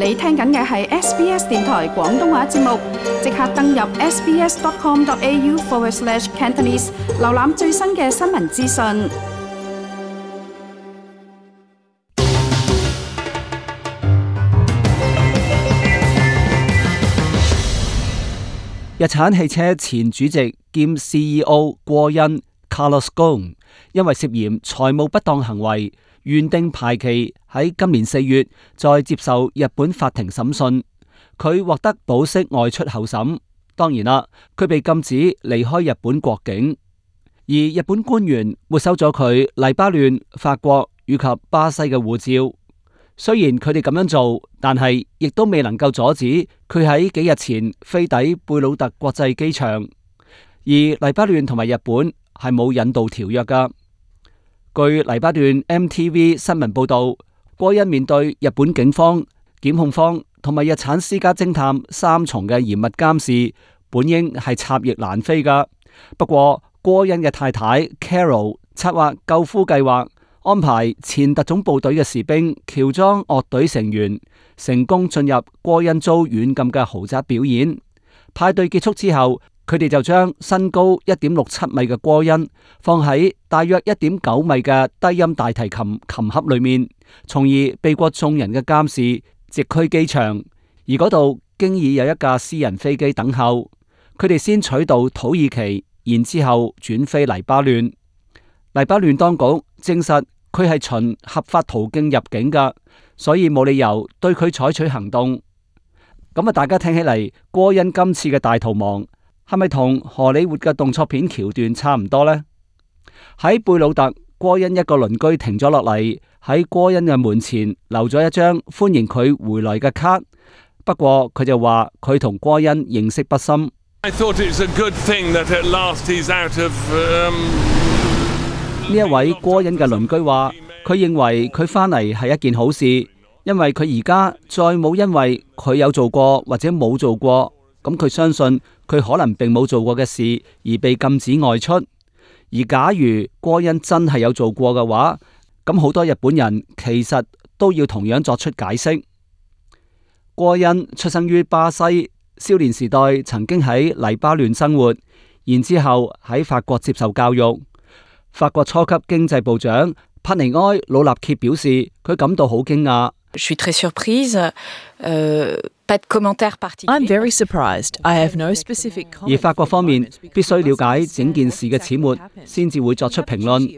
你聽緊嘅係 SBS 電台廣東話節目，即刻登入 sbs.com.au/Cantonese， 瀏覽最新嘅新聞資訊。日產汽車前主席兼 CEO 郭恩 Carlos Ghosn 因為涉嫌財務不當行為，原定排期喺今年4月再接受日本法庭審訊，佢獲得保釋外出候審。當然啦，佢被禁止離開日本國境，而日本官員沒收咗佢黎巴嫩、法國以及巴西嘅護照。雖然佢哋咁樣做，但係亦都未能夠阻止佢喺幾日前飛抵貝魯特國際機場。而黎巴嫩同埋日本係冇引渡條約噶。據黎巴嫩 MTV 新聞報道，郭恩面對日本警方、檢控方同埋日產私家偵探三重嘅嚴密監視，本應係插翼難飛噶。不過郭恩嘅太太 Carol 策劃救夫計劃，安排前特種部隊嘅士兵喬裝樂隊成員，成功進入郭恩遭軟禁嘅豪宅表演。派對結束之後，佢哋就將身高1.67米嘅郭恩放喺大約1.9米嘅低音大提琴琴盒裏面，從而避過眾人嘅監視，直驅機場。而嗰度經已有一架私人飛機等候，佢哋先取道土耳其，然之後轉飛黎巴嫩。黎巴嫩當局證實佢係循合法途徑入境噶，所以冇理由對佢採取行動。咁啊，大家聽起嚟，郭恩今次嘅大逃亡係咪同荷里活嘅動作片橋段差唔多呢？喺貝魯特，郭恩一個鄰居停咗落嚟，喺郭恩嘅門前留咗一張歡迎佢回來嘅卡。不過佢就話佢同郭恩認識不深。呢一位郭恩嘅鄰居話，佢認為佢返嚟係一件好事，因為佢而家再冇因為佢有做過或者冇做過，咁佢相信佢可能並冇做過嘅事而被禁止外出。而假如郭恩真係有做過嘅話，咁好多日本人其實都要同樣作出解釋。郭恩出生於巴西，少年時代曾經喺黎巴嫩生活，然之後喺法國接受教育。法國初級經濟部長帕尼埃魯納歇表示，佢感到好驚訝。I'm very surprised. I have no specific comment. 而法國方面必須了解整件事嘅始末，先至會作出評論。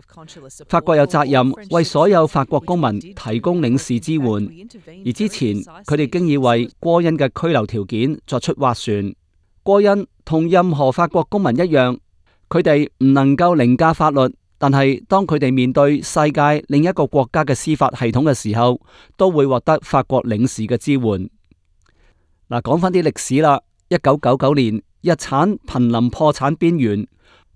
法國有責任為所有法國公民提供領事支援，而之前佢哋經已為郭恩嘅居留條件作出斡旋。郭恩同任何法國公民一樣，佢哋唔能夠凌駕法律，但係當佢哋面對世界另一個國家嘅司法系統嘅時候，都會獲得法國領事嘅支援。嗱，講翻啲歷史啦。1999年，日產瀕臨破產邊緣，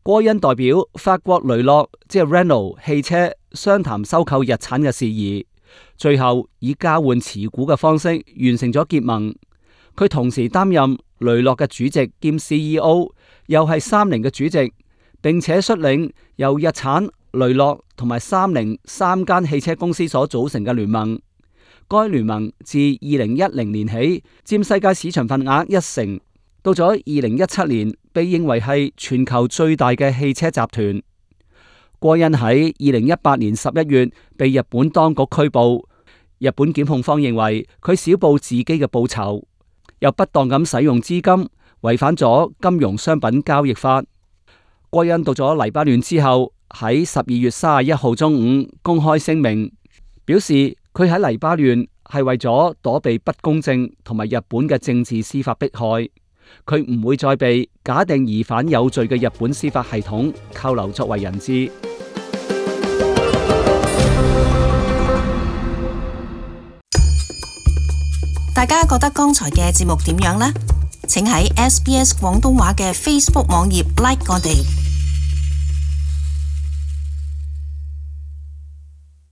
郭恩代表法國雷諾即係 Renault 汽車商談收購日產嘅事宜，最後以交換持股嘅方式完成咗結盟。佢同時擔任雷諾嘅主席兼 CEO， 又係三菱嘅主席，並且率領由日產、雷諾同埋三菱三間汽車公司所組成嘅聯盟。該聯盟自2010年起佔世界市場份額1成，到咗2017年被認為係全球最大嘅汽車集團。郭恩喺2018年11月被日本當局拘捕，日本檢控方認為佢少報自己嘅報酬，又不當咁使用資金，違反咗金融商品交易法。郭恩到咗黎巴嫩之後，喺12月31號中午公開聲明，表示佢喺黎巴嫩係為咗躲避不公正同埋日本嘅政治司法迫害，佢唔會再被假定疑犯有罪嘅日本司法系統扣留作為人質。大家覺得剛才嘅節目點樣呢？請喺SBS 廣東話嘅 Facebook 網頁 like 我哋。